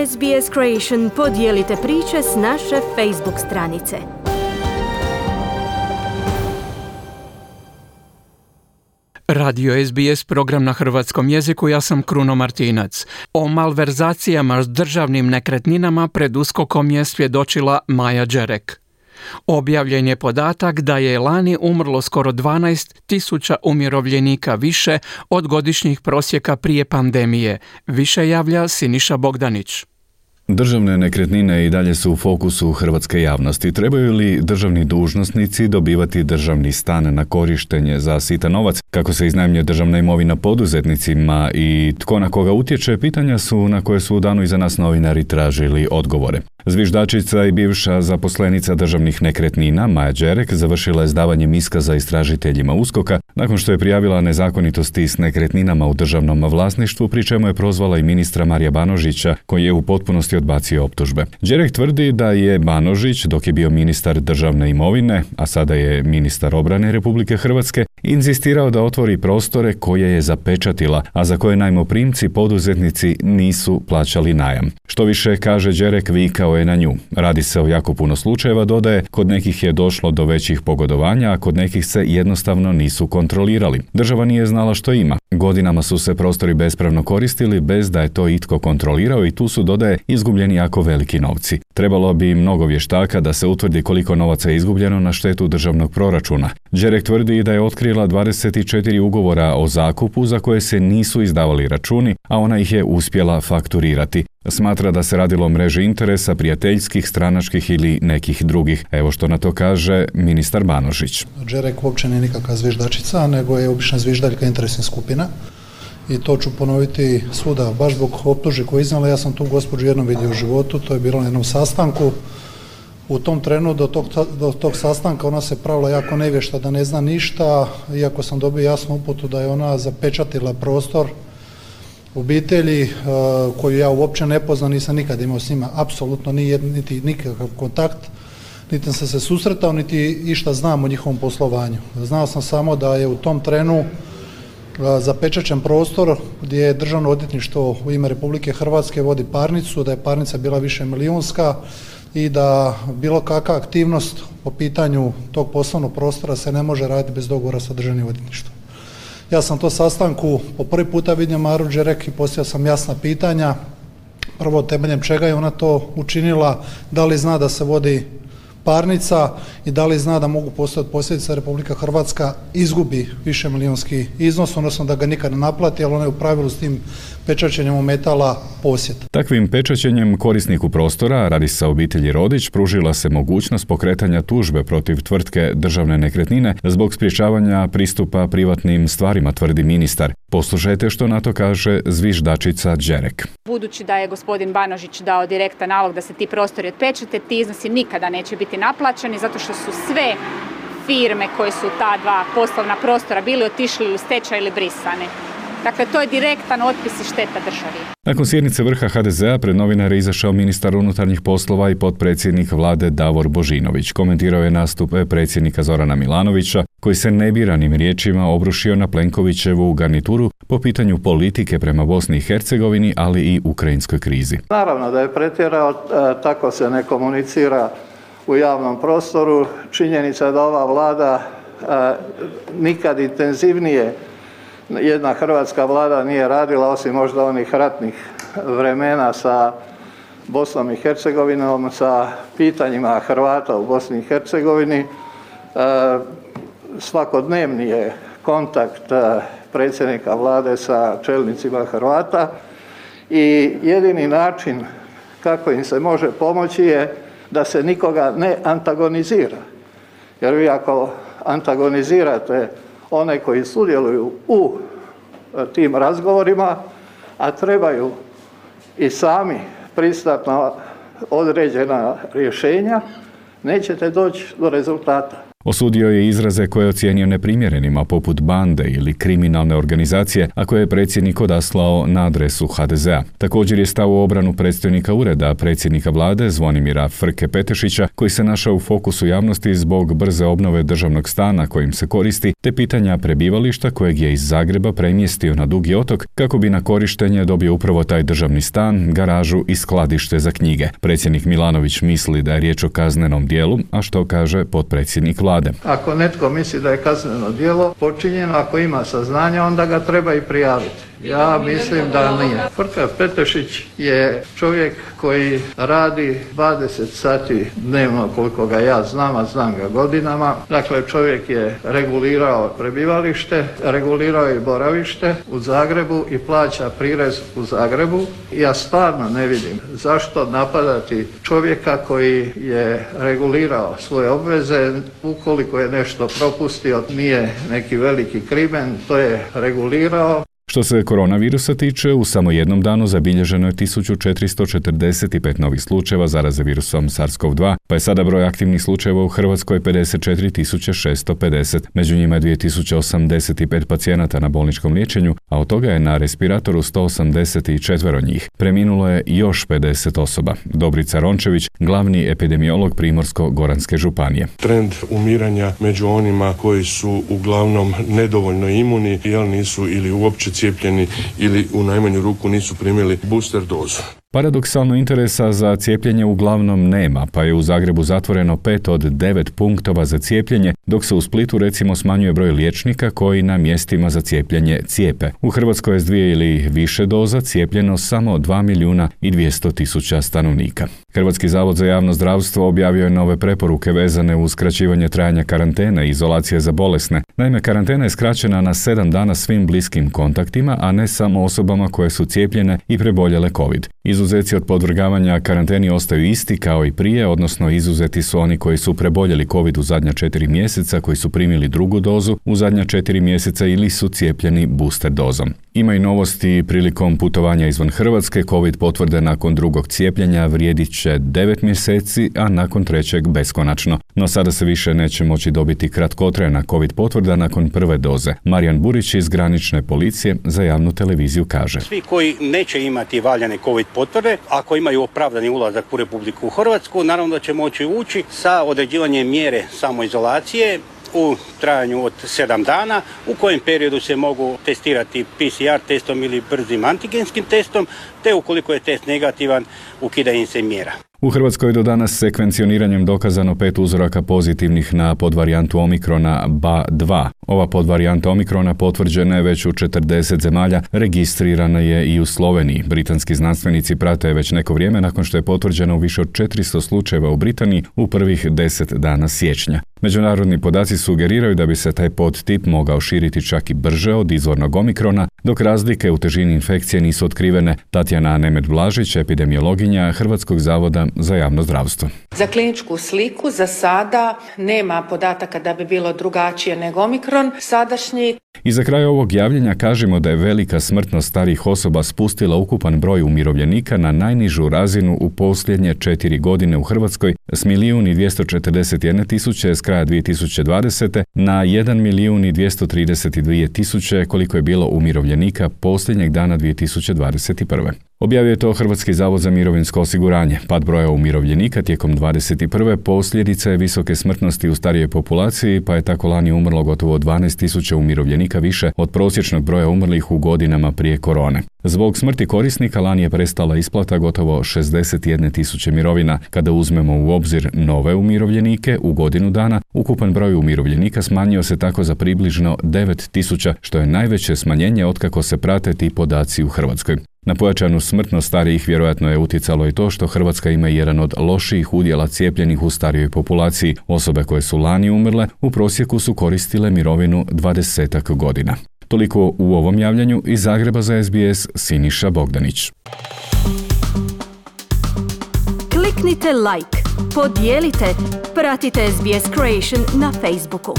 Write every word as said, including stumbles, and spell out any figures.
S B S Creation podijelite priče s naše Facebook stranice. Radio S B S program na hrvatskom jeziku, ja sam Kruno Martinac. O malverzacijama s državnim nekretninama pred USKOK-om je svjedočila Maja Đerek. Objavljen je podatak da je lani umrlo skoro dvanaest tisuća umirovljenika više od godišnjih prosjeka prije pandemije. Više javlja Siniša Bogdanić. Državne nekretnine i dalje su u fokusu hrvatske javnosti. Trebaju li državni dužnosnici dobivati državni stan na korištenje za sitan novac, kako se iznajmljuje državna imovina poduzetnicima i tko na koga utječe, pitanja su na koje su u danu iza nas novinari tražili odgovore. Zviždačica i bivša zaposlenica državnih nekretnina Maja Đerek završila je s davanjem iskaza istražiteljima USKOK-a nakon što je prijavila nezakonitosti s nekretninama u državnom vlasništvu, pri čemu je prozvala i ministra Marija Banožića, koji je u potpunosti odbacio optužbe. Đerek tvrdi da je Banožić, dok je bio ministar državne imovine, a sada je ministar obrane Republike Hrvatske, inzistirao da otvori prostore koje je zapečatila, a za koje najmoprimci poduzetnici nisu plaćali najam. Što više, kaže Đerek, vikao je na nju. Radi se o jako puno slučajeva, dodaje, kod nekih je došlo do većih pogodovanja, a kod nekih se jednostavno nisu kontrolirali. Država nije znala što ima. Godinama su se prostori bespravno koristili bez da je to itko kontrolirao i tu su, dodaje, izgubljeni jako veliki novci. Trebalo bi mnogo vještaka da se utvrdi koliko novaca je izgubljeno na štetu državnog proračuna. Đerek tvrdi da je otkrila dvadeset četiri ugovora o zakupu za koje se nisu izdavali računi, a ona ih je uspjela fakturirati. Smatra da se radilo o mreži interesa, prijateljskih, stranačkih ili nekih drugih. Evo što na to kaže ministar Banožić. Đerek uopće nije nikakva zviždačica, nego je obična zviždaljka interesnih skupina. I to ću ponoviti svuda, baš zbog optužbi koje je iznala. Ja sam tu gospođu jednom vidio u životu, to je bilo na jednom sastanku. U tom trenu do tog, do tog sastanka ona se pravila jako nevješta da ne zna ništa, iako sam dobio jasnu uputu da je ona zapečatila prostor obitelji koju ja uopće ne poznam, nisam nikad imao s njima apsolutno ni niti nikakav kontakt, niti sam se susretao, niti išta znam o njihovom poslovanju. Znao sam samo da je u tom trenu zapečaćen prostor gdje je Državno odvjetništvo u ime Republike Hrvatske vodi parnicu, da je parnica bila više milijunska i da bilo kakva aktivnost po pitanju tog poslovnog prostora se ne može raditi bez dogovora sa Državnim odvjetništvom. Ja sam to sastanku po prvi puta vidio Maru Đerek i postavio sam jasna pitanja. Prvo, temeljem čega je ona to učinila, da li zna da se vodi parnica i da li zna da mogu postojati posljedice Republika Hrvatska izgubi više milijunski iznos, odnosno da ga nikad ne naplati, ali ona je u pravilu s tim pečaćenjem ometala posjed. Takvim pečaćenjem korisniku prostora, radi se o obitelji Rodić, pružila se mogućnost pokretanja tužbe protiv tvrtke Državne nekretnine zbog sprječavanja pristupa privatnim stvarima, tvrdi ministar. Poslušajte što na to kaže zviždačica Đerek. Budući da je gospodin Banožić dao direktan nalog da se ti prostori otpečate, ti iznosi nikada neće biti naplaćeni zato što su sve firme koje su ta dva poslovna prostora bili otišli u stečaj ili brisane. Dakle, to je direktan otpis i šteta državi. Nakon sjednice vrha ha de zea pred novinare izašao ministar unutarnjih poslova i potpredsjednik vlade Davor Božinović. Komentirao je nastup predsjednika Zorana Milanovića, koji se nebiranim riječima obrušio na Plenkovićevu garnituru po pitanju politike prema Bosni i Hercegovini, ali i ukrajinskoj krizi. Naravno da je pretjerao, tako se ne komunicira u javnom prostoru. Činjenica da ova vlada nikad intenzivnije jedna hrvatska vlada nije radila, osim možda onih ratnih vremena sa Bosnom i Hercegovinom, sa pitanjima Hrvata u Bosni i Hercegovini. Svakodnevni je kontakt predsjednika vlade sa čelnicima Hrvata i jedini način kako im se može pomoći je da se nikoga ne antagonizira. Jer vi ako antagonizirate one koji sudjeluju u tim razgovorima, a trebaju i sami pristati na određena rješenja, nećete doći do rezultata. Osudio je izraze koje je ocijenio neprimjerenima, poput bande ili kriminalne organizacije, a koje je predsjednik odaslao na adresu ha de zea. Također je stao u obranu predstojnika ureda predsjednika vlade Zvonimira Frke Petešića, koji se našao u fokusu javnosti zbog brze obnove državnog stana kojim se koristi, te pitanja prebivališta kojeg je iz Zagreba premjestio na Dugi otok kako bi na korištenje dobio upravo taj državni stan, garažu i skladište za knjige. Predsjednik Milanović misli da je riječ o kaznenom djelu, a što kaže potpredsjednik vlade. Ako netko misli da je kazneno djelo počinjeno, ako ima saznanja, onda ga treba i prijaviti. Ja mislim da nije. Frka Petešić je čovjek koji radi dvadeset sati dnevno, koliko ga ja znam, a znam ga godinama. Dakle, čovjek je regulirao prebivalište, regulirao je boravište u Zagrebu i plaća prirez u Zagrebu. Ja stvarno ne vidim zašto napadati čovjeka koji je regulirao svoje obveze. Ukoliko je nešto propustio, nije neki veliki krimen, to je regulirao. Što se koronavirusa tiče, u samo jednom danu zabilježeno je tisuću četiristo četrdeset pet novih slučajeva zaraze virusom SARS-CoV dva, pa je sada broj aktivnih slučajeva u Hrvatskoj pedeset četiri tisuće šesto pedeset. Među njima je dvije tisuće osamdeset pet pacijenata na bolničkom liječenju, a od toga je na respiratoru sto osamdeset četiri njih. Preminulo je još pedeset osoba. Dobrica Rončević, glavni epidemiolog Primorsko-goranske županije. Trend umiranja među onima koji su uglavnom nedovoljno imuni, jel nisu ili uopće cijepljeni ili u najmanju ruku nisu primili booster dozu. Paradoksalno interesa za cijepljenje uglavnom nema, pa je u Zagrebu zatvoreno pet od devet punktova za cijepljenje, dok se u Splitu recimo smanjuje broj liječnika koji na mjestima za cijepljenje cijepe. U Hrvatskoj je s dvije ili više doza cijepljeno samo dva milijuna i dvjesto tisuća stanovnika. Hrvatski zavod za javno zdravstvo objavio je nove preporuke vezane uz skraćivanje trajanja karantene i izolacije za bolesne. Naime, karantena je skraćena na sedam dana svim bliskim kontaktima, a ne samo osobama koje su cijepljene i preboljele COVID. Izuzeci od podvrgavanja karanteni ostaju isti kao i prije, odnosno izuzeti su oni koji su preboljeli COVID u zadnja četiri mjeseca, koji su primili drugu dozu u zadnja četiri mjeseca ili su cijepljeni booster dozom. Ima i novosti prilikom putovanja izvan Hrvatske. COVID potvrde nakon drugog cijepljenja vrijedit će devet mjeseci, a nakon trećeg beskonačno. No sada se više neće moći dobiti kratkotrajna COVID potvrda nakon prve doze. Marijan Burić iz granične policije za javnu televiziju kaže: Svi koji neće imati valjane COVID potvrde, ako imaju opravdani ulazak u Republiku Hrvatsku, naravno da će moći ući sa određivanjem mjere samoizolacije u trajanju od sedam dana, u kojem periodu se mogu testirati P C R testom ili brzim antigenskim testom, te ukoliko je test negativan, ukida im se mjera. U Hrvatskoj je do danas sekvencioniranjem dokazano pet uzoraka pozitivnih na podvarijantu omikrona B A dva. Ova podvarijanta omikrona potvrđena je već u četrdeset zemalja, registrirana je i u Sloveniji. Britanski znanstvenici prate već neko vrijeme nakon što je potvrđeno u više od četiristo slučajeva u Britaniji u prvih deset dana siječnja. Međunarodni podaci sugeriraju da bi se taj podtip mogao širiti čak i brže od izvornog omikrona, dok razlike u težini infekcije nisu otkrivene. Tatjana Nemet-Blažić, epidemiologinja Hrvatskog zavoda za javno zdravstvo. Za kliničku sliku za sada nema podataka da bi bilo drugačije nego omikron sadašnji. I za kraj ovog javljanja kažemo da je velika smrtnost starijih osoba spustila ukupan broj umirovljenika na najnižu razinu u posljednje četiri godine u Hrvatskoj s milijun i dvjesto četrdeset jedne tisuće s kraja dvije tisuće dvadesete na jedan milijun i dvjesto trideset dvije tisuće koliko je bilo umirovljenika posljednjeg dana dvije tisuće dvadeset prve. Objavio je to Hrvatski zavod za mirovinsko osiguranje. Pad broja umirovljenika tijekom dvadeset prve posljedica je visoke smrtnosti u starijoj populaciji, pa je tako lani umrlo gotovo dvanaest tisuća umirovljenika više od prosječnog broja umrlih u godinama prije korone. Zbog smrti korisnika lani je prestala isplata gotovo šezdeset jedne tisuće mirovina. Kada uzmemo u obzir nove umirovljenike u godinu dana, ukupan broj umirovljenika smanjio se tako za približno devet tisuća, što je najveće smanjenje otkako se prate ti podaci u Hrvatskoj. Na pojačanu smrtnost starijih vjerojatno je utjecalo i to što Hrvatska ima jedan od lošijih udjela cijepljenih u starijoj populaciji. Osobe koje su lani umrle u prosjeku su koristile mirovinu dvadesetak godina. Toliko u ovom javljanju. Iz Zagreba za S B S Siniša Bogdanić. Kliknite like, podijelite, pratite S B S Creation na Facebooku.